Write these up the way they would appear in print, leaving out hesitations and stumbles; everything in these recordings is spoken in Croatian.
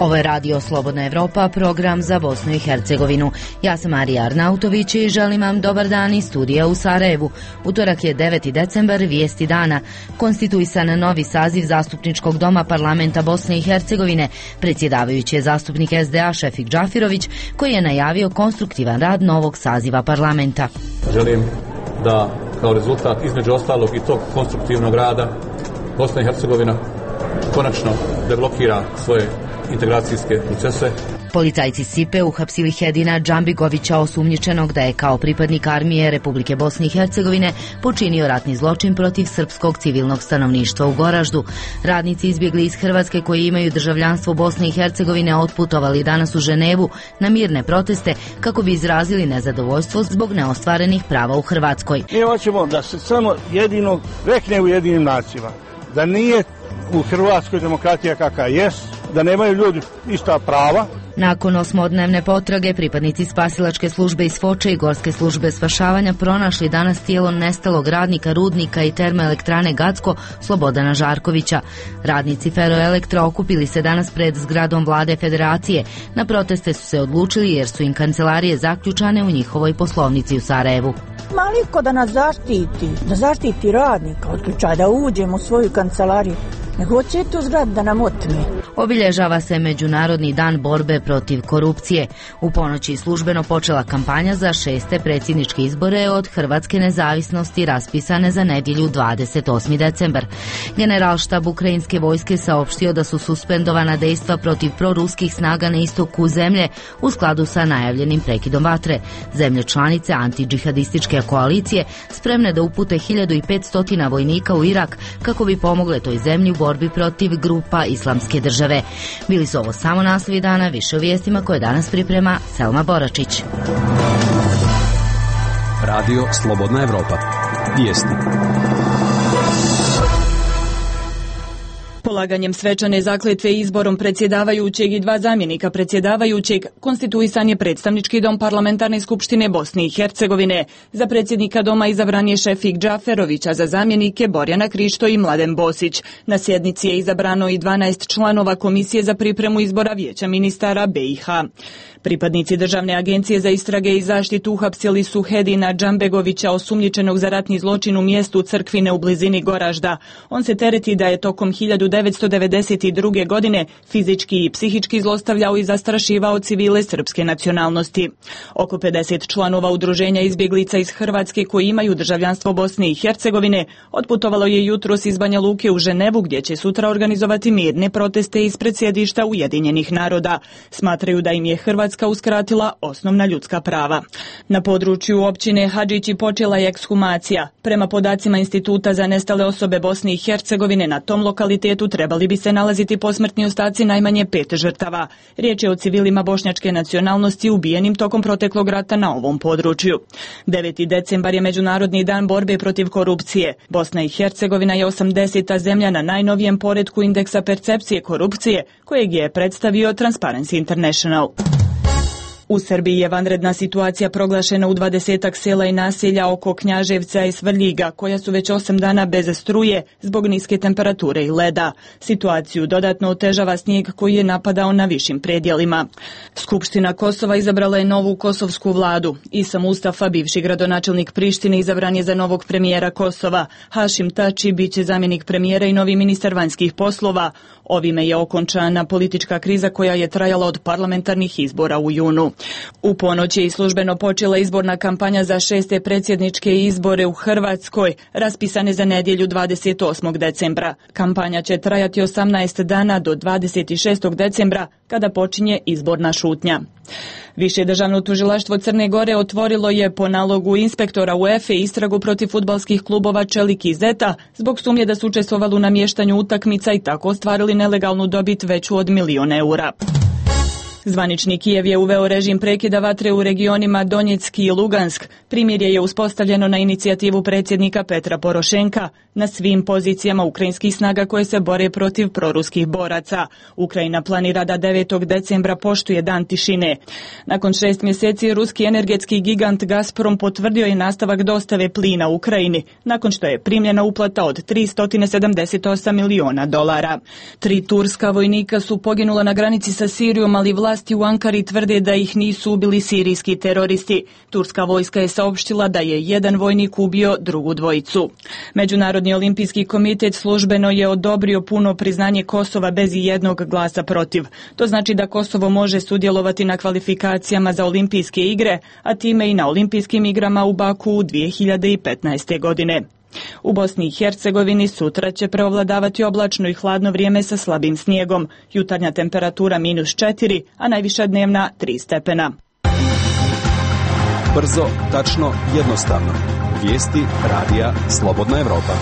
Ovo je Radio Slobodna Evropa, program za Bosnu i Hercegovinu. Ja sam Marija Arnautović i želim vam dobar dan iz studija u Sarajevu. Utorak je 9. decembar, vijesti dana. Konstituisan novi saziv Zastupničkog doma parlamenta Bosne i Hercegovine. Predsjedavajući je zastupnik SDA Šefik Džafirović, koji je najavio konstruktivan rad novog saziva parlamenta. Želim da kao rezultat između ostalog i tog konstruktivnog rada Bosna i Hercegovina konačno deblokira svoje integracijske procese. Policajci SIPE uhapsili Hedina Džambigovića, osumnjičenog da je kao pripadnik armije Republike Bosne i Hercegovine počinio ratni zločin protiv srpskog civilnog stanovništva u Goraždu. Radnici izbjegli iz Hrvatske koji imaju državljanstvo Bosne i Hercegovine otputovali danas u Ženevu na mirne proteste kako bi izrazili nezadovoljstvo zbog neostvarenih prava u Hrvatskoj. Mi hoćemo da se samo jedino rekne u Ujedinjenim nacijama, da nije u Hrvatskoj demokratija kakva jest, da nemaju ljudi ista prava. Nakon 8-dnevne potrage, pripadnici spasilačke službe iz Foče i Gorske službe spašavanja pronašli danas tijelo nestalog radnika rudnika i termoelektrane Gacko Slobodana Žarkovića. Radnici Feroelektra okupili se danas pred zgradom vlade Federacije. Na proteste su se odlučili jer su im kancelarije zaključane u njihovoj poslovnici u Sarajevu. Maliko da nas da zaštiti radnika, otključa da uđemo u svoju kancelariju. Nego će tu zgrad da nam otme. Obilježava se Međunarodni dan borbe protiv korupcije. U ponoći službeno počela kampanja za 6. predsjedničke izbore od Hrvatske nezavisnosti raspisane za nedjelju 28. decembar. Generalštab ukrajinske vojske saopštio da su suspendovana dejstva protiv proruskih snaga na istoku zemlje u skladu sa najavljenim prekidom vatre. Zemlje članice antidžihadističke koalicije spremne da upute 1500 vojnika u Irak kako bi pomogle toj zemlji u borbi protiv grupa Islamske države. Bili su ovo samo naslovi dana, više o vijestima koje danas priprema Selma Boračić. Radio Slobodna Evropa. Vijesti. Polaganjem svečane zakletve i izborom predsjedavajućeg i 2 zamjenika predsjedavajućeg konstituisan je predstavnički dom Parlamentarne skupštine Bosne i Hercegovine. Za predsjednika doma izabran je Šefik Džaferović, a za zamjenike Borjana Krišto i Mladen Bosić. Na sjednici je izabrano i 12 članova Komisije za pripremu izbora Vijeća ministara BiH. Pripadnici Državne agencije za istrage i zaštitu uhapsili su Hedina Džambegovića, osumnjičenog za ratni zločin u mjestu Crkvine u blizini Goražda. On se tereti da je tokom 1992. godine fizički i psihički zlostavljao i zastrašivao civile srpske nacionalnosti. Oko 50 članova udruženja izbjeglica iz Hrvatske koji imaju državljanstvo Bosne i Hercegovine otputovalo je jutros iz Banja Luke u Ženevu, gdje će sutra organizovati mirne proteste ispred sjedišta Ujedinjenih naroda. Smatraju da im je Hrvatska uskratila osnovna ljudska prava. Na području općine Hadžići počela je ekshumacija. Prema podacima Instituta za nestale osobe Bosne i Hercegovine, na tom lokalitetu trebali bi se nalaziti posmrtni ostaci najmanje 5 žrtava. Riječ je o civilima bošnjačke nacionalnosti ubijenim tokom proteklog rata na ovom području. 9. decembar je Međunarodni dan borbe protiv korupcije. Bosna i Hercegovina je 80. zemlja na najnovijem poretku indeksa percepcije korupcije, kojeg je predstavio Transparency International. U Srbiji je vanredna situacija proglašena u 20 sela i naselja oko Knjaževca i Svrljiga, koja su već 8 dana bez struje zbog niske temperature i leda. Situaciju dodatno otežava snijeg koji je napadao na višim predjelima. Skupština Kosova izabrala je novu kosovsku vladu. Isa Mustafa, bivši gradonačelnik Prištine, izabran je za novog premijera Kosova. Hašim Tači biće zamjenik premijera i novi ministar vanjskih poslova. Ovime je okončana politička kriza koja je trajala od parlamentarnih izbora u junu. U ponoć je i službeno počela izborna kampanja za 6. predsjedničke izbore u Hrvatskoj, raspisane za nedjelju 28. decembra. Kampanja će trajati 18 dana do 26. decembra, kada počinje izborna šutnja. Više državno tužilaštvo Crne Gore otvorilo je po nalogu inspektora UEFA istragu protiv fudbalskih klubova Čelik i Zeta zbog sumnje da su učestvovali u namještanju utakmica i tako ostvarili nelegalnu dobit veću od 1 milion eura. Zvanični Kijev je uveo režim prekida vatre u regionima Donjecki i Lugansk. Primirje je uspostavljeno na inicijativu predsjednika Petra Porošenka na svim pozicijama ukrajinskih snaga koje se bore protiv proruskih boraca. Ukrajina planira da 9. decembra poštuje dan tišine. Nakon 6 mjeseci ruski energetski gigant Gazprom potvrdio je nastavak dostave plina Ukrajini, nakon što je primljena uplata od $378 miliona. 3 turska vojnika su poginula na granici sa Sirijom, ali vlasti u Ankari tvrde da ih nisu ubili sirijski teroristi. Turska vojska je saopštila da je jedan vojnik ubio drugu dvojicu. Međunarodni olimpijski komitet službeno je odobrio puno priznanje Kosova bez ijednog glasa protiv. To znači da Kosovo može sudjelovati na kvalifikacijama za olimpijske igre, a time i na olimpijskim igrama u Baku 2015. godine. U Bosni i Hercegovini sutra će preovladavati oblačno i hladno vrijeme sa slabim snijegom. Jutarnja temperatura -4, a najviša dnevna 3 stepena. Brzo, tačno, jednostavno. Vijesti radija Slobodna Evropa.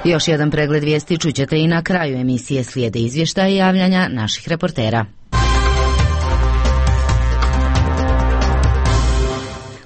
Još jedan pregled vijesti čućete i na kraju emisije, slijede izvještaja i javljanja naših reportera.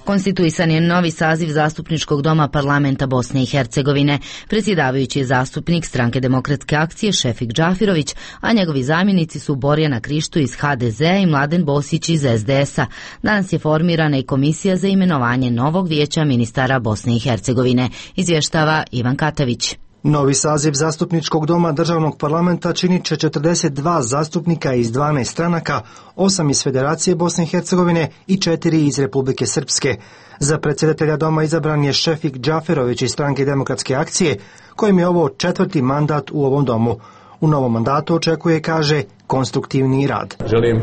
Konstituisan je novi saziv Zastupničkog doma parlamenta Bosne i Hercegovine. Predsjedavajući je zastupnik Stranke demokratske akcije Šefik Džafirović, a njegovi zamjenici su Borjana Krišto iz HDZ-a i Mladen Bosić iz SDS-a. Danas je formirana i komisija za imenovanje novog vijeća ministara Bosne i Hercegovine, izvještava Ivan Katavić. Novi saziv Zastupničkog doma državnog parlamenta činit će 42 zastupnika iz 12 stranaka, 8 iz Federacije Bosne i Hercegovine i 4 iz Republike Srpske. Za predsjedatelja doma izabran je Šefik Džafirović iz Stranke demokratske akcije, kojim je ovo 4. mandat u ovom domu. U novom mandatu očekuje, kaže, konstruktivni rad. Želim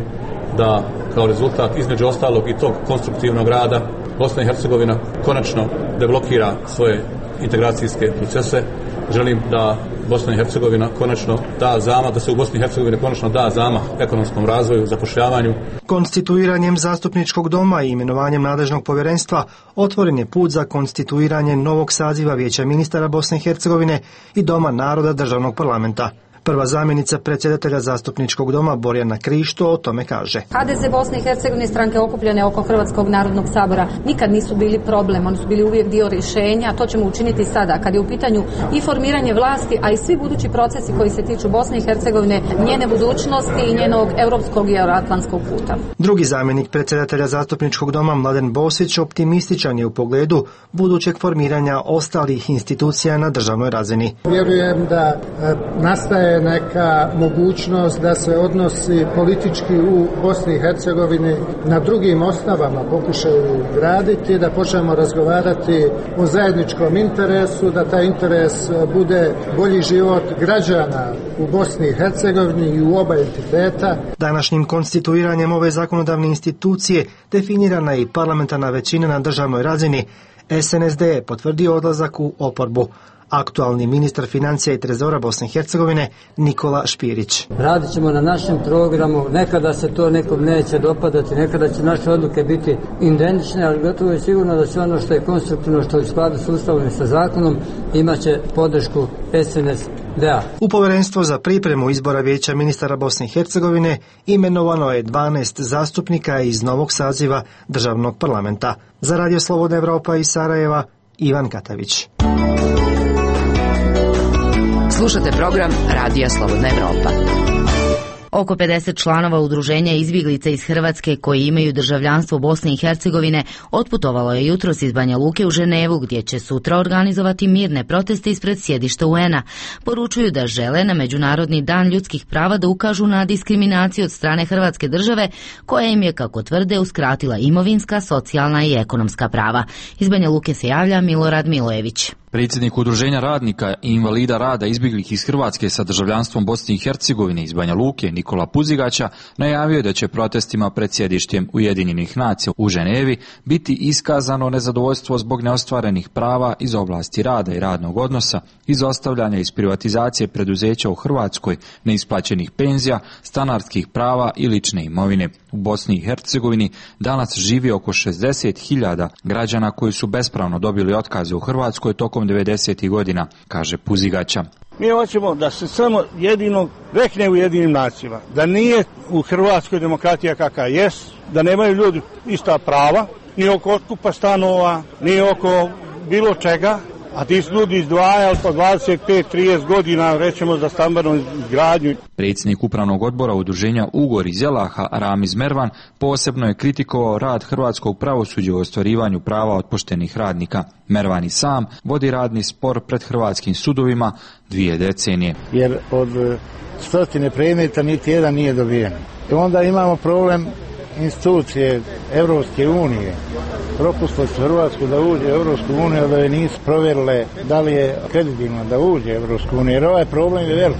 da kao rezultat između ostalog i tog konstruktivnog rada Bosna i Hercegovina konačno deblokira svoje integracijske procese. Želim da Bosna i Hercegovina konačno da zamah, da se u Bosni i Hercegovini konačno da zamah ekonomskom razvoju, zapošljavanju. Konstituiranjem Zastupničkog doma i imenovanjem nadležnog povjerenstva otvoren je put za konstituiranje novog saziva Vijeća ministara Bosne i Hercegovine i Doma naroda državnog parlamenta. Prva zamjenica predsjedatelja Zastupničkog doma Borjana Krišto o tome kaže. HDZ Bosne i Hercegovine, stranke okupljene oko Hrvatskog narodnog sabora, nikad nisu bili problem, oni su bili uvijek dio rješenja, a to ćemo učiniti sada kad je u pitanju i formiranje vlasti, a i svi budući procesi koji se tiču Bosne i Hercegovine, njene budućnosti i njenog europskog i euroatlantskog puta. Drugi zamjenik predsjedatelja Zastupničkog doma Mladen Bosić optimističan je u pogledu budućeg formiranja ostalih institucija na državnoj razini. Vjerujem da nastaje neka mogućnost da se odnosi politički u Bosni i Hercegovini na drugim osnovama pokušaju graditi, da počnemo razgovarati o zajedničkom interesu, da taj interes bude bolji život građana u Bosni i Hercegovini i u oba entiteta. Današnjim konstituiranjem ove zakonodavne institucije definirana je i parlamentarna većina na državnoj razini. SNSD je potvrdio odlazak u oporbu. Aktualni ministar financija i trezora Bosne i Hercegovine Nikola Špirić. Radit ćemo na našem programu, nekada se to nekom neće dopadati, nekada će naše odluke biti identične, ali gotovo je sigurno da sve ono što je konstruktivno, što je u skladu s Ustavom i sa zakonom, imaće podršku SNSD-a. U povjerenstvo za pripremu izbora Vijeća ministara Bosne i Hercegovine imenovano je 12 zastupnika iz novog saziva državnog parlamenta. Za Radio Slobodna Evropa iz Sarajeva, Ivan Katavić. Slušate program Radija Slobodna Evropa. Oko 50 članova udruženja izbjeglica iz Hrvatske koji imaju državljanstvo Bosne i Hercegovine otputovalo je jutros iz Banja Luke u Ženevu, gdje će sutra organizovati mirne proteste ispred sjedišta UN-a. Poručuju da žele na Međunarodni dan ljudskih prava da ukažu na diskriminaciju od strane Hrvatske države, koja im je, kako tvrde, uskratila imovinska, socijalna i ekonomska prava. Iz Banja Luke se javlja Milorad Milojević. Predsjednik Udruženja radnika i invalida rada izbjeglih iz Hrvatske sa državljanstvom Bosne i Hercegovine iz Banja Luke, Nikola Puzigaća, najavio je da će protestima pred sjedištem Ujedinjenih nacija u Ženevi biti iskazano nezadovoljstvo zbog neostvarenih prava iz oblasti rada i radnog odnosa, izostavljanja iz privatizacije preduzeća u Hrvatskoj, neisplaćenih penzija, stanarskih prava i lične imovine. U Bosni i Hercegovini danas živi oko 60.000 građana koji su bespravno dobili otkaze u Hrvatskoj tokom 90. godina, kaže Puzigaća. Mi hoćemo da se samo jedino rekne u Jedinim nacijama, da nije u Hrvatskoj demokratija kakva jest, da nemaju ljudi ista prava, ni oko otkupa stanova, ni oko bilo čega, a ti su ljudi izdvajali po 25-30 godina, rećemo, za stambenu izgradnju. Predsjednik upravnog odbora udruženja Ugor iz Jelaha, Ramiz Mervan, posebno je kritikovao rad hrvatskog pravosuđa u ostvarivanju prava otpuštenih radnika. Mervan i sam vodi radni spor pred hrvatskim sudovima 2 decenije. Jer od 100 predmeta niti jedan nije dobijen. I onda imamo problem institucije Evropske unije. Propustili su Hrvatsku da uđe u Evropsku uniju, da je nisu provjerile da li je kredibilno da uđe u Evropsku uniju, jer ovaj problem je velik.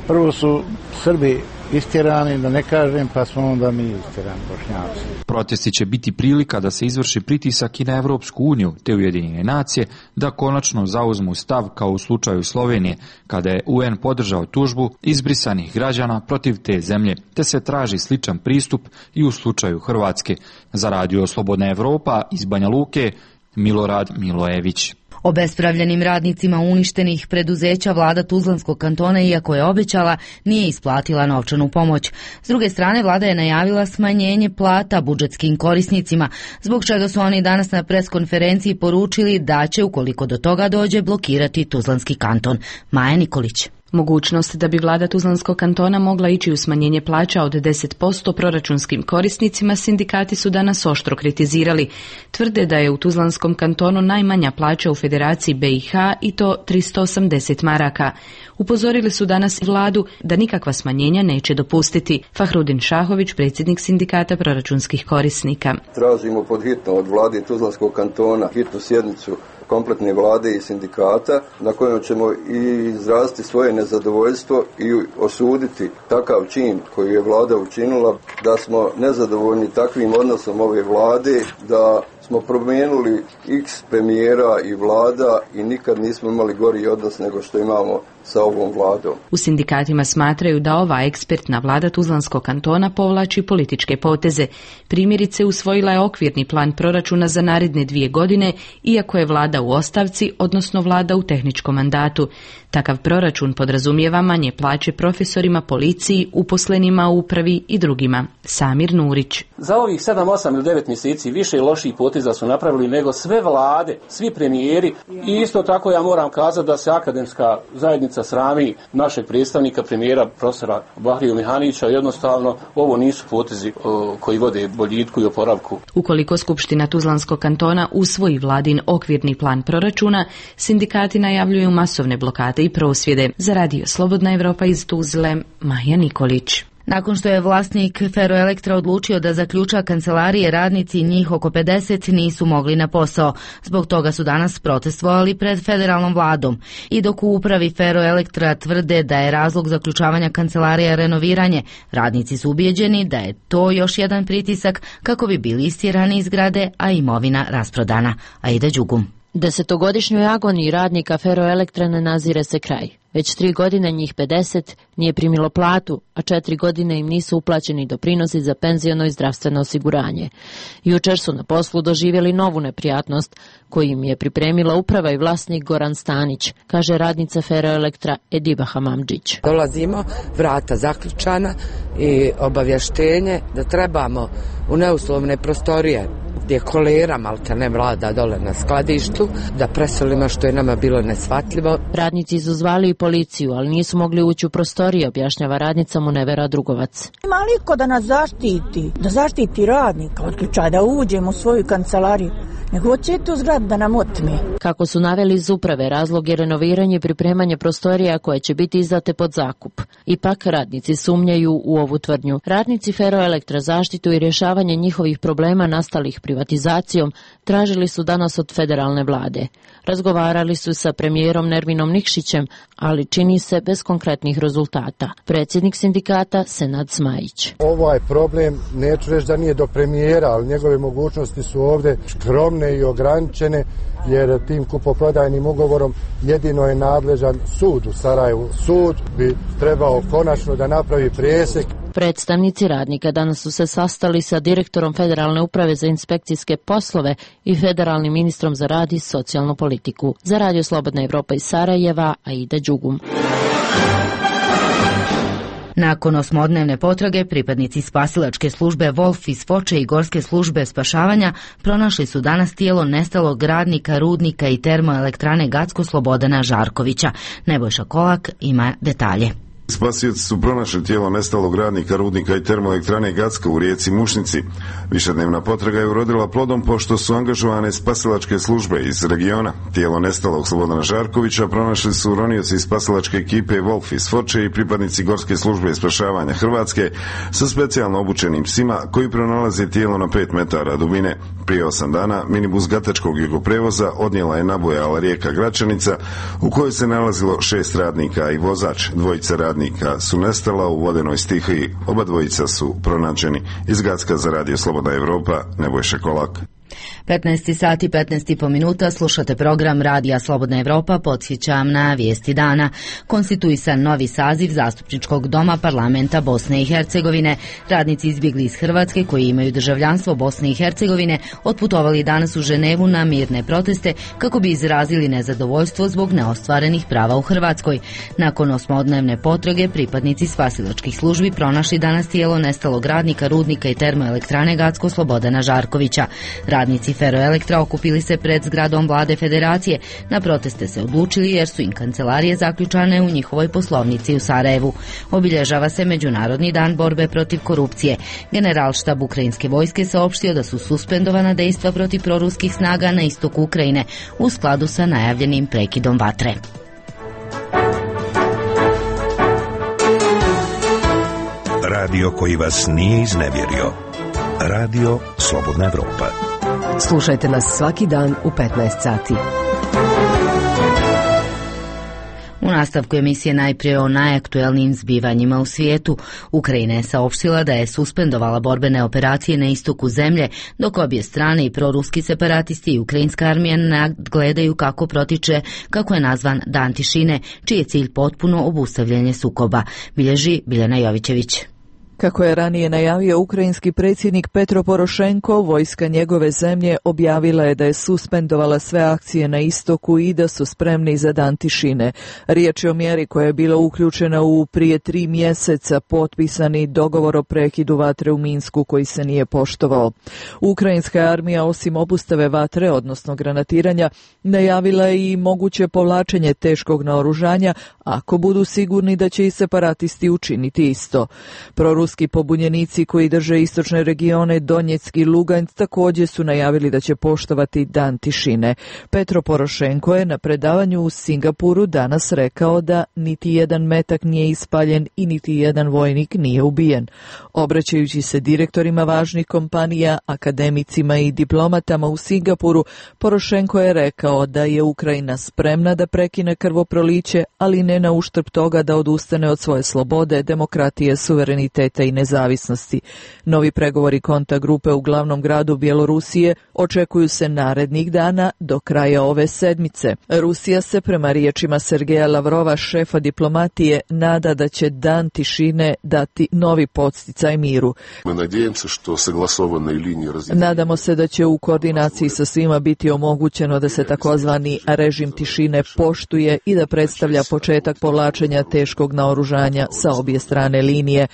Prvo su Srbi istjerani, da ne kažem, pa smo onda mi istjerani Bošnjaci. Protesti će biti prilika da se izvrši pritisak i na Evropsku uniju te Ujedinjene nacije da konačno zauzmu stav kao u slučaju Slovenije, kada je UN podržao tužbu izbrisanih građana protiv te zemlje, te se traži sličan pristup i u slučaju Hrvatske. Za Radio Slobodna Evropa iz Banja Luke, Milorad Milojević. Obespravljenim radnicima uništenih preduzeća vlada Tuzlanskog kantona, iako je obećala, nije isplatila novčanu pomoć. S druge strane, vlada je najavila smanjenje plata budžetskim korisnicima, zbog čega su oni danas na preskonferenciji poručili da će, ukoliko do toga dođe, blokirati Tuzlanski kanton. Maja Nikolić. Mogućnost da bi vlada Tuzlanskog kantona mogla ići u smanjenje plaća od 10% proračunskim korisnicima sindikati su danas oštro kritizirali. Tvrde da je u Tuzlanskom kantonu najmanja plaća u Federaciji BiH i to 380 maraka. Upozorili su danas vladu da nikakva smanjenja neće dopustiti. Fahrudin Šahović, predsjednik sindikata proračunskih korisnika. Tražimo pod hitno od vlade Tuzlanskog kantona hitnu sjednicu kompletne vlade i sindikata na kojem ćemo i izraziti svoje nezadovoljstvo i osuditi takav čin koji je vlada učinila, da smo nezadovoljni takvim odnosom ove vlade, da smo promijenili x premijera i vlada i nikad nismo imali gori odnos nego što imamo sa ovom vladom. U sindikatima smatraju da ova ekspertna vlada Tuzlanskog kantona povlači političke poteze. Primjerice, usvojila je okvirni plan proračuna za naredne 2 godine, iako je vlada u ostavci, odnosno vlada u tehničkom mandatu. Takav proračun podrazumijeva manje plaće profesorima, policiji, uposlenima u upravi i drugima. Samir Nurić. Za ovih 7, 8 ili 9 mjeseci više loših poteza su napravili nego sve vlade, svi premijeri, i isto tako ja moram kazati da se akademska zajednica srami našeg predstavnika premijera profesora Bahriju Mihanića. Jednostavno ovo nisu potezi koji vode boljitku i oporavku. Ukoliko Skupština Tuzlanskog kantona usvoji vladin okvirni plan proračuna, sindikati najavljuju masovne blokade i prosvjede. Za Radio Slobodna Evropa iz Tuzle, Maja Nikolić. Nakon što je vlasnik Ferroelektra odlučio da zaključa kancelarije, radnici, njih oko 50, nisu mogli na posao. Zbog toga su danas protestovali pred federalnom vladom. I dok u upravi Ferroelektra tvrde da je razlog zaključavanja kancelarija renoviranje, radnici su ubijeđeni da je to još jedan pritisak kako bi bili istjerani iz zgrade, a imovina rasprodana. Aida Đugum. 10-godišnjoj agoniji radnika Ferroelektra ne nazire se kraj. Već 3 godine njih 50 nije primilo platu, a 4 godine im nisu uplaćeni doprinosi za penziono i zdravstveno osiguranje. Jučer su na poslu doživjeli novu neprijatnost koju im je pripremila uprava i vlasnik Goran Stanić, kaže radnica Ferroelektra Ediba Hamamdžić. Dolazimo, vrata zaključana i obavještenje da trebamo u neuslovne prostorije gdje kolera malta ne vlada dole na skladištu, da preselimo, što je nama bilo neshvatljivo. Radnici su zvali i policiju, ali nisu mogli ući u prostorije, objašnjava radnica Munevera Drugovac. Ima li ko da nas da zaštiti radnika, otključaj da uđemo u svoju kancelariju, nego hoće tu zgrad da nam otme. Kako su naveli iz uprave, razlog je renoviranje i pripremanje prostorija koje će biti izdate pod zakup. Ipak radnici sumnjaju u ovu tvrdnju. Radnici Ferroelektra zaštitu i rješavanje njihovih problema nastalih privatizacijom tražili su danas od federalne vlade. Razgovarali su sa premijerom Nerminom Nikšićem, ali čini se bez konkretnih rezultata. Predsjednik sindikata Senad Smajić. Ovaj problem, neću reći da nije do premijera, ali njegove mogućnosti su ovdje skromne i ograničene, jer tim kupoprodajnim ugovorom jedino je nadležan sud u Sarajevu. Sud bi trebao konačno da napravi presjek. Predstavnici radnika danas su se sastali sa direktorom Federalne uprave za inspekcijske poslove i federalnim ministrom za rad i socijalnu politiku. Za Radio Slobodna Evropa iz Sarajeva, Aida Đugum. Nakon osmodnevne potrage, pripadnici spasilačke službe Wolf iz Foče i Gorske službe spašavanja pronašli su danas tijelo nestalog radnika, rudnika i termoelektrane Gacko Slobodana Žarkovića. Nebojša Kolak ima detalje. Spasioci su pronašli tijelo nestalog radnika, rudnika i termoelektrane Gacka u rijeci Mušnici. Višednevna potraga je urodila plodom pošto su angažovane spasilačke službe iz regiona. Tijelo nestalog Slobodana Žarkovića pronašli su ronioci iz spasilačke ekipe Wolf iz Foče i pripadnici Gorske službe spašavanja Hrvatske sa specijalno obučenim psima koji pronalaze tijelo na 5 metara dubine. Prije 8 dana minibus Gatačkog jugoprevoza odnijela je nabojala rijeka Gračanica u kojoj se nalazilo 6 radnika i vozač. Dvojica radnika su nestala u vodenoj stihiji, oba dvojica su pronađeni. Iz Gacka za Radio Slobodna Evropa, Nebojša Kolak. 15 sati 15,5 minuta, slušate program Radija Slobodna Evropa, podsjećam na vijesti dana. Konstituisan novi saziv Zastupničkog doma parlamenta Bosne i Hercegovine. Radnici izbjegli iz Hrvatske koji imaju državljanstvo Bosne i Hercegovine otputovali danas u Ženevu na mirne proteste kako bi izrazili nezadovoljstvo zbog neostvarenih prava u Hrvatskoj. Nakon osmodnevne potrage, pripadnici spasilačkih službi pronašli danas tijelo nestalog radnika, rudnika i termoelektrane Gacko Slobodana Žarkovića. Radnici Feroelektra okupili se pred zgradom Vlade Federacije. Na proteste se odlučili jer su im kancelarije zaključane u njihovoj poslovnici u Sarajevu. Obilježava se Međunarodni dan borbe protiv korupcije. Generalštab ukrajinske vojske saopštio da su suspendovana dejstva protiv proruskih snaga na istoku Ukrajine u skladu sa najavljenim prekidom vatre. Radio koji vas nije iznevjerio. Radio Slobodna Evropa. Slušajte nas svaki dan u 15 sati. U nastavku emisije najprije o najaktuelnijim zbivanjima u svijetu. Ukrajina je saopštila da je suspendovala borbene operacije na istoku zemlje, dok obje strane i proruski separatisti i ukrajinska armija nadgledaju kako protiče, kako je nazvan, Dan tišine, čiji je cilj potpuno obustavljanje sukoba. Bilježi Biljana Jovićević. Kako je ranije najavio ukrajinski predsjednik Petro Porošenko, vojska njegove zemlje objavila je da je suspendovala sve akcije na istoku i da su spremni za dan tišine. Riječ je o mjeri koja je bila uključena u prije 3 mjeseca potpisani dogovor o prekidu vatre u Minsku koji se nije poštovao. Ukrajinska armija osim obustave vatre, odnosno granatiranja, najavila je i moguće povlačenje teškog naoružanja ako budu sigurni da će i separatisti učiniti isto. Ruski pobunjenici koji drže istočne regione Donjeck i Lugansk također su najavili da će poštovati dan tišine. Petro Porošenko je na predavanju u Singapuru danas rekao da niti jedan metak nije ispaljen i niti jedan vojnik nije ubijen. Obraćajući se direktorima važnih kompanija, akademicima i diplomatama u Singapuru, Porošenko je rekao da je Ukrajina spremna da prekine krvoproliće, ali ne na uštrb toga da odustane od svoje slobode, demokratije, suvereniteta i nezavisnosti. Novi pregovori konta grupe u glavnom gradu Bjelorusije očekuju se narednih dana do kraja ove sedmice. Rusija se prema riječima Sergeja Lavrova, šefa diplomatije, nada da će dan tišine dati novi podsticaj miru. Nadamo se da će u koordinaciji sa svima biti omogućeno da se takozvani režim tišine poštuje i da predstavlja početak povlačenja teškog naoružanja sa obje strane linije.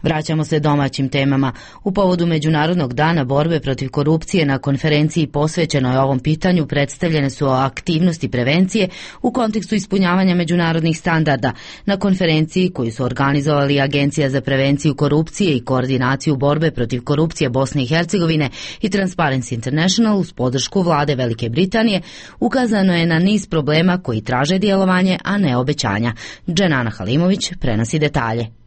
Vraćamo se domaćim temama. U povodu Međunarodnog dana borbe protiv korupcije na konferenciji posvećenoj ovom pitanju predstavljene su aktivnosti prevencije u kontekstu ispunjavanja međunarodnih standarda. Na konferenciji koju su organizovali Agencija za prevenciju korupcije i koordinaciju borbe protiv korupcije Bosne i Hercegovine i Transparency International uz podršku vlade Velike Britanije, ukazano je na niz problema koji traže djelovanje, a ne obećanja. Dženana Halimović prenosi detalje.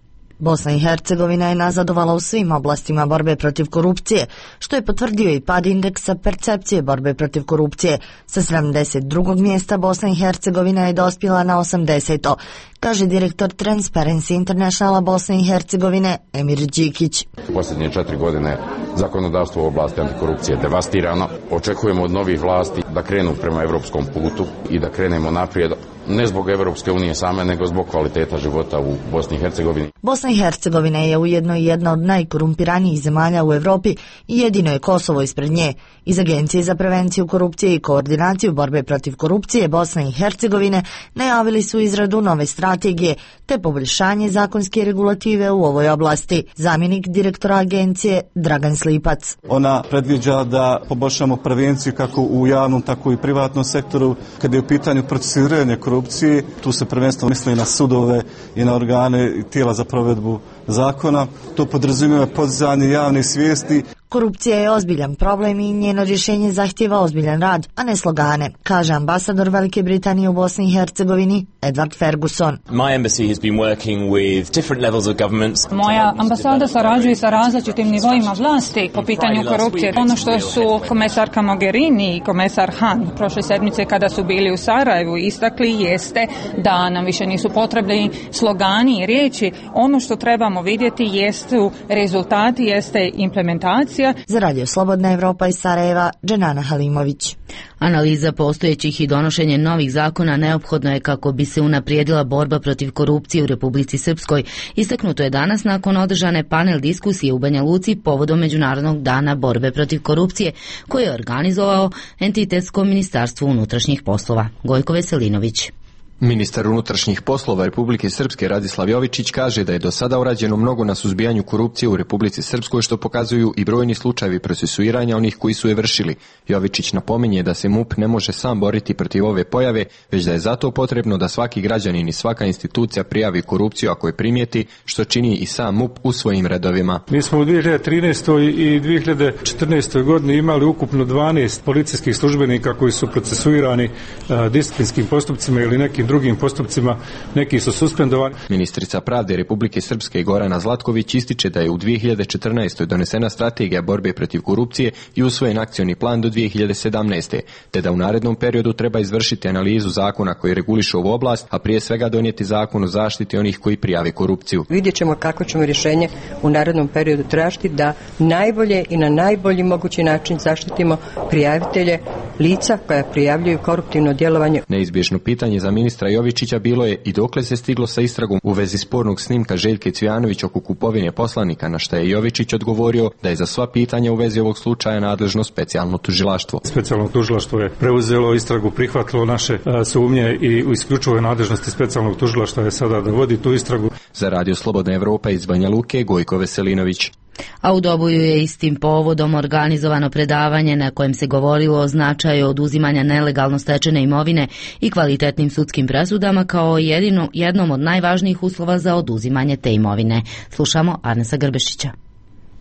Bosna i Hercegovina je nazadovala u svim oblastima borbe protiv korupcije, što je potvrdio i pad indeksa percepcije borbe protiv korupcije. Sa 72. mjesta Bosna i Hercegovina je dospjela na 80. kaže direktor Transparency Internationala Bosne i Hercegovine Emir Đikić. U posljednje 4 godine zakonodavstvo u oblasti antikorupcije je devastirano. Očekujemo od novih vlasti da krenu prema evropskom putu i da krenemo naprijed ne zbog Evropske unije same, nego zbog kvaliteta života u Bosni i Hercegovini. Bosna i Hercegovina je ujedno jedna od najkorumpiranijih zemalja u Evropi i jedino je Kosovo ispred nje. Iz Agencije za prevenciju korupcije i koordinaciju borbe protiv korupcije Bosne i Hercegovine najavili su izradu nove strategije te poboljšanje zakonske regulative u ovoj oblasti. Zamjenik direktora agencije Dragan Slipac. Ona predviđa da poboljšamo prevenciju kako u javnom, tako i privatnom sektoru. Kada je u pitanju procesuiranja korupcije, tu se prvenstveno misli na sudove i na organe i tijela za provedbu zakona. To podrazumijeva podizanje javne svijesti. Korupcija je ozbiljan problem i njeno rješenje zahtijeva ozbiljan rad, a ne slogane, kaže ambasador Velike Britanije u Bosni i Hercegovini Edward Ferguson. Moja ambasada sarađuje sa različitim nivoima vlasti po pitanju korupcije. Ono što su komesarka Mogherini i komesar Han prošle sedmice kada su bili u Sarajevu istakli jeste da nam više nisu potrebni slogani i riječi. Ono što trebamo vidjeti jesu rezultati, jeste implementacija. Za Radio Slobodna Evropa iz Sarajeva, Dženana Halimović. Analiza postojećih i donošenje novih zakona neophodno je kako bi se unaprijedila borba protiv korupcije u Republici Srpskoj. Istaknuto je danas nakon održane panel diskusije u Banja Luci povodom Međunarodnog dana borbe protiv korupcije koje je organizovao Entitetsko ministarstvo unutrašnjih poslova. Gojko Veselinović. Ministar unutrašnjih poslova Republike Srpske Radislav Jovičić kaže da je do sada urađeno mnogo na suzbijanju korupcije u Republici Srpskoj, što pokazuju i brojni slučajevi procesuiranja onih koji su je vršili. Jovičić napominje da se MUP ne može sam boriti protiv ove pojave, već da je zato potrebno da svaki građanin i svaka institucija prijavi korupciju ako je primijeti, što čini i sam MUP u svojim redovima. Mi smo u 2013. i 2014. godini imali ukupno 12 policijskih službenika koji su procesuirani disciplinskim postupcima ili nekim drugim postupcima, neki su suspendovani. Ministrica pravde Republike Srpske Gorana Zlatković ističe da je u 2014. donesena strategija borbe protiv korupcije i usvojen akcioni plan do 2017. te da u narednom periodu treba izvršiti analizu zakona koji regulišu ovu oblast, a prije svega donijeti zakon o zaštiti onih koji prijave korupciju. Vidjet ćemo kako ćemo rješenje u narednom periodu tražiti da najbolje i na najbolji mogući način zaštitimo prijavitelje, lica koja prijavljuju koruptivno djelovanje. Neizbježno pitanje za ministra Jovičića bilo je i dokle se stiglo sa istragom u vezi spornog snimka Željke Cvijanović oko kupovine poslanika, na što je Jovičić odgovorio da je za sva pitanja u vezi ovog slučaja nadležno specijalno tužilaštvo. Specijalno tužilaštvo je preuzelo istragu, prihvatilo naše sumnje i u isključivoj nadležnosti specijalnog tužilaštva je sada da vodi tu istragu. Za Radio Slobodna Evropa iz Banja Luke, Gojko Veselinović. A u Doboju je istim povodom organizovano predavanje na kojem se govorilo o značaju oduzimanja nelegalno stečene imovine i kvalitetnim sudskim presudama kao jednom od najvažnijih uslova za oduzimanje te imovine. Slušamo Arnesa Grbešića.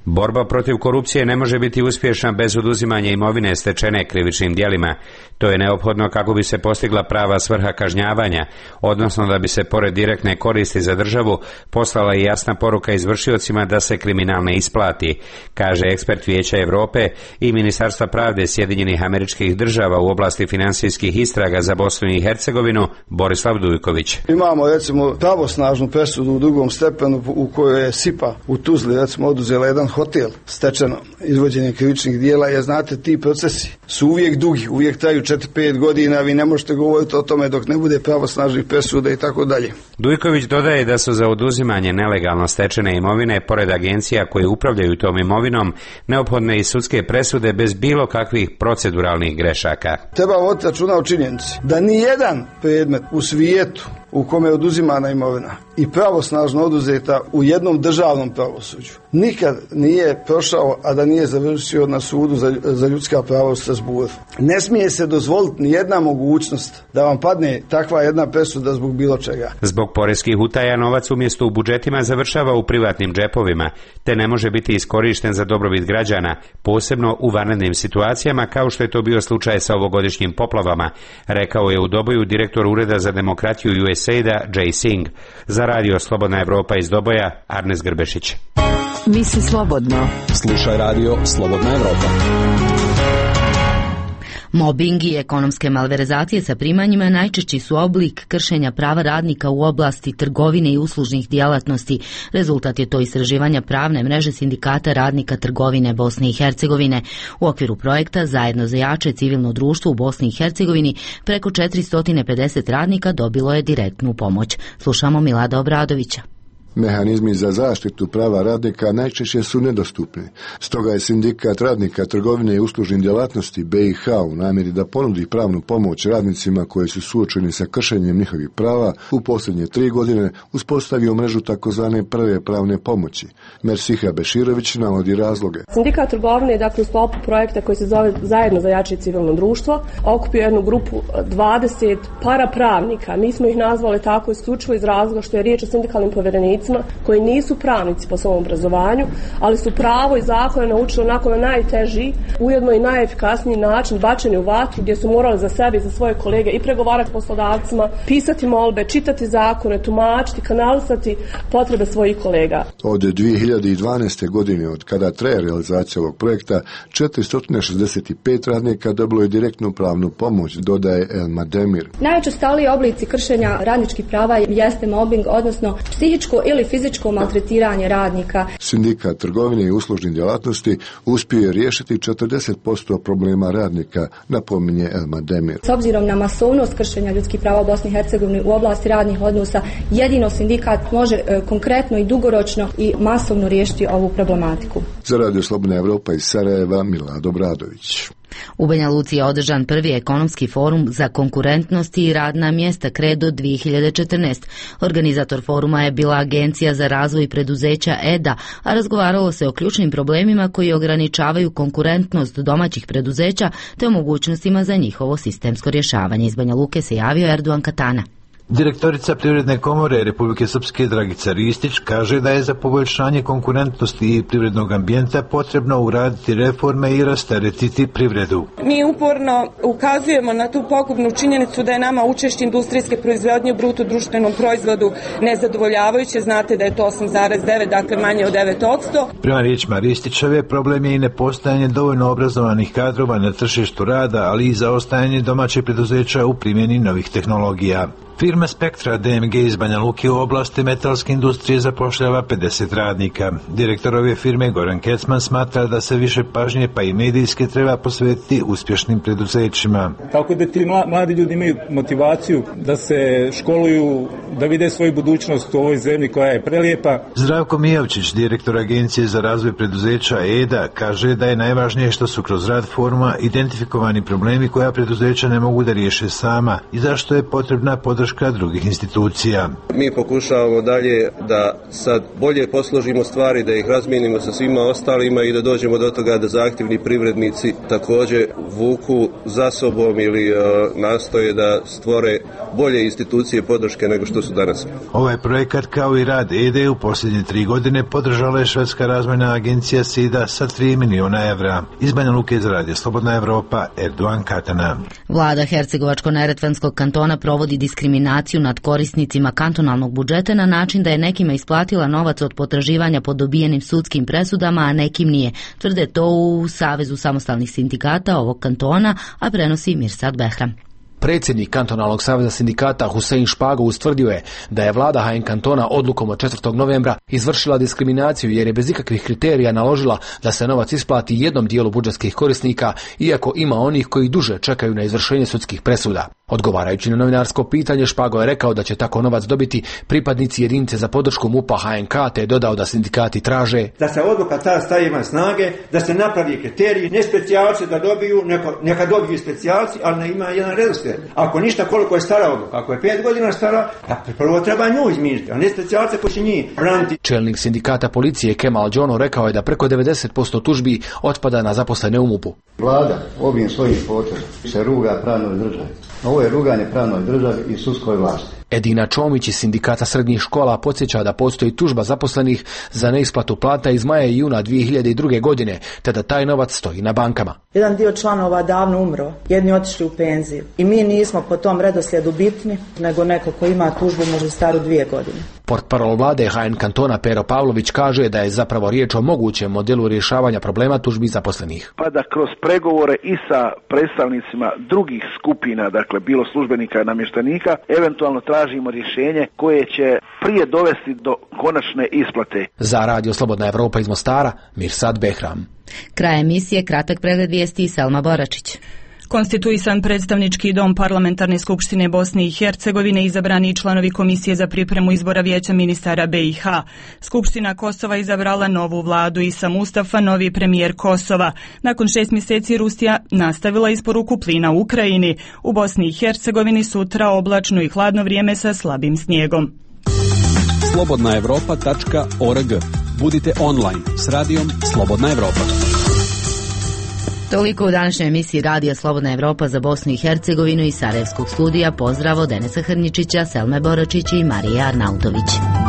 Borba protiv korupcije ne može biti uspješna bez oduzimanja imovine stečene krivičnim djelima. To je neophodno kako bi se postigla prava svrha kažnjavanja, odnosno da bi se pored direktne koristi za državu poslala i jasna poruka izvršiocima da se kriminal ne isplati, kaže ekspert Vijeća Europe i Ministarstva pravde Sjedinjenih Američkih Država u oblasti financijskih istraga za Bosnu i Hercegovinu Borislav Dujković. Imamo recimo pravosnažnu presudu u drugom stepenu u kojoj je SIPA u Tuzli recimo oduzela jedan hotel stečeno izvođenje krivičnih dijela, jer znate ti procesi su uvijek dugi, uvijek traju 4-5 godina, vi ne možete govoriti o tome dok ne bude pravosnažnih presuda i tako dalje. Dujković dodaje da su za oduzimanje nelegalno stečene imovine, pored agencija koje upravljaju tom imovinom, neophodne i sudske presude bez bilo kakvih proceduralnih grešaka. Treba voditi računa o činjenici da ni jedan predmet u svijetu u kome je oduzimana imovina i pravosnažno oduzeta u jednom državnom pravosuđu nikad nije prošao, a da nije završio na sudu za ljudska prava u Strasbourgu. Ne smije se dozvoliti ni jedna mogućnost da vam padne takva jedna presuda zbog bilo čega. Zbog poreskih utaja novac umjesto u budžetima završava u privatnim džepovima, te ne može biti iskorišten za dobrobit građana, posebno u vanrednim situacijama kao što je to bio slučaj sa ovogodišnjim poplavama, rekao je u Doboju direktor Ureda za demokratiju USAID-a Jay Singh. Za Radio Slobodna Evropa iz Doboja, Arnes Grbešić. Misli slobodno. Slušaj Radio Slobodna Evropa. Mobbing i ekonomske malverzacije sa primanjima najčešći su oblik kršenja prava radnika u oblasti trgovine i uslužnih djelatnosti. Rezultat je to istraživanja pravne mreže sindikata radnika trgovine Bosne i Hercegovine. U okviru projekta Zajedno za jače civilno društvo u Bosni i Hercegovini preko 450 radnika dobilo je direktnu pomoć. Slušamo Milada Obradovića. Mehanizmi za zaštitu prava radnika najčešće su nedostupni. Stoga je sindikat radnika trgovine i uslužnih djelatnosti BiH u namjeri da ponudi pravnu pomoć radnicima koji su suočeni sa kršenjem njihovih prava u posljednje 3 godine uspostavio mrežu takozvane prve pravne pomoći. Mersiha Beširović navodi razloge. Sindikat trgovine je dakle u sklopu projekta koji se zove Zajedno za jače civilno društvo okupio jednu grupu 20 parapravnika. Mi smo ih nazvali tako isključivo iz razloga što je riječ o sindikalnim povjerenicima koji nisu pravnici po svom obrazovanju, ali su pravo i zakone naučili onako na najteži, ujedno i najefikasniji način, bačeni u vatru, gdje su morali za sebe i za svoje kolege i pregovarati s poslodavcima, pisati molbe, čitati zakone, tumačiti, kanalisati potrebe svojih kolega. Od 2012. godine, od kada traje realizacija ovog projekta, 465 radnika dobilo je direktnu pravnu pomoć, dodaje Elma Demir. Najučestaliji oblici kršenja radničkih prava jeste mobbing, odnosno psihičko ili fizičko maltretiranje radnika. Sindikat trgovine i uslužnih djelatnosti uspio je riješiti 40% problema radnika, napominje Elma Demir. S obzirom na masovnost kršenja ljudskih prava u Bosni i Hercegovini u oblasti radnih odnosa, jedino sindikat može konkretno i dugoročno i masovno riješiti ovu problematiku. Za Radio Slobodna Evropa iz Sarajeva, Milad Obradović. U Banja Luci je održan prvi ekonomski forum za konkurentnost i radna mjesta Kredo 2014. Organizator foruma je bila Agencija za razvoj preduzeća EDA, a razgovaralo se o ključnim problemima koji ograničavaju konkurentnost domaćih preduzeća te o mogućnostima za njihovo sistemsko rješavanje. Iz Banja Luke se javio Erdogan Katana. Direktorica Privredne komore Republike Srpske Dragica Ristić kaže da je za poboljšanje konkurentnosti i privrednog ambijenta potrebno uraditi reforme i rasteretiti privredu. Mi uporno ukazujemo na tu pogubnu činjenicu da je nama učešće industrijske proizvodnje u bruto društvenom proizvodu nezadovoljavajuće. Znate da je to 8,9, dakle manje od 9%. Prema riječima Ristićeve, problem je i nepostojanje dovoljno obrazovanih kadrova na tržištu rada, ali i zaostajanje domaćih preduzeća u primjeni novih tehnologija. Firma Spektra DMG iz Banja Luke u oblasti metalske industrije zapošljava 50 radnika. Direktor ove firme Goran Kecman smatra da se više pažnje pa i medijske treba posvetiti uspješnim preduzećima. Tako da ti mladi ljudi imaju motivaciju da se školuju, da vide svoju budućnost u ovoj zemlji koja je prelijepa. Zdravko Mijavčić, direktor Agencije za razvoj preduzeća EDA, kaže da je najvažnije što su kroz rad foruma identifikovani problemi koja preduzeća ne mogu da riješe sama i zašto je potrebna podrška drugih institucija. Mi pokušavamo dalje da sad bolje posložimo stvari, da ih razmijenimo sa svima ostalima i da dođemo do toga da zahtjevni privrednici također vuku za sobom ili nastoje da stvore bolje institucije podrške nego što su danas. Ovaj projekat kao i rad EDE u posljednje 3 godine podržala je Švedska razvojna agencija SIDA sa 3 miliona evra. Iz Banja Luke za Radio Slobodna Evropa, Erdogan Katana. Vlada Hercegovačko-neretvanskog kantona provodi diskriminaciju nad korisnicima kantonalnog budžeta na način da je nekima isplatila novac od potraživanja po dobijenim sudskim presudama, a nekim nije. Tvrde to u Savezu samostalnih sindikata ovog kantona, a prenosi Mirsad Behram. Predsjednik kantonalnog saveza sindikata Husein Špago ustvrdio je da je vlada HN kantona odlukom od 4. novembra izvršila diskriminaciju jer je bez ikakvih kriterija naložila da se novac isplati jednom dijelu budžetskih korisnika, iako ima onih koji duže čekaju na izvršenje sudskih presuda. Odgovarajući na novinarsko pitanje, Špago je rekao da će tako novac dobiti pripadnici jedinice za podršku MUP-a HNK, te je dodao da sindikati traže da se odluka ta stavi van snage, da se napravi kriteriji, ne specijalci da dobiju, neka dobiju specijalci, ali ne ima jedan redoslijed. Ako ništa, koliko je stara odluka, ako je 5 godina stara, prvo treba nju izmijeniti, a ne specijalce koji će njih braniti. Čelnik sindikata policije Kemal Džono rekao je da preko 90% tužbi otpada na zaposlene u MUP-u. Vlada ovim svojim potezom se ruga pravnoj državi. Ovo je ruganje pravnoj državi i sudskoj vlasti. Edina Čomić iz Sindikata srednjih škola podsjeća da postoji tužba zaposlenih za neisplatu plata iz maja i juna 2002. godine, te da taj novac stoji na bankama. Jedan dio članova davno umro, jedni otišli u penziju i mi nismo po tom redoslijedu bitni, nego neko ko ima tužbu možda staru 2 godine. Portparol vlade HN kantona Pero Pavlović kaže da je zapravo riječ o mogućem modelu rješavanja problema tužbi zaposlenih. Pa da kroz pregovore i sa predstavnicima drugih skupina, dakle bilo službenika i namještenika, eventualno tražimo rješenje koje će prije dovesti do konačne isplate. Za Radio Slobodna Evropa iz Mostara, Mirsad Behram. Kraj emisije, kratak pregled vijesti Selma Boračić. Konstituisan predstavnički dom Parlamentarne skupštine Bosne i Hercegovine, izabrani članovi Komisije za pripremu izbora Vijeća ministara BiH. Skupština Kosova izabrala novu vladu. Isa Mustafa, novi premijer Kosova. Nakon 6 mjeseci Rusija nastavila isporuku plina u Ukrajini. U Bosni i Hercegovini sutra oblačno i hladno vrijeme sa slabim snijegom. slobodnaevropa.org. Budite online s radijom Slobodna Evropa. Toliko u današnjoj emisiji Radija Slobodna Evropa za Bosnu i Hercegovinu i Sarajevskog studija. Pozdrav od Denesa Hrničića, Selme Boračić i Marije Arnautović.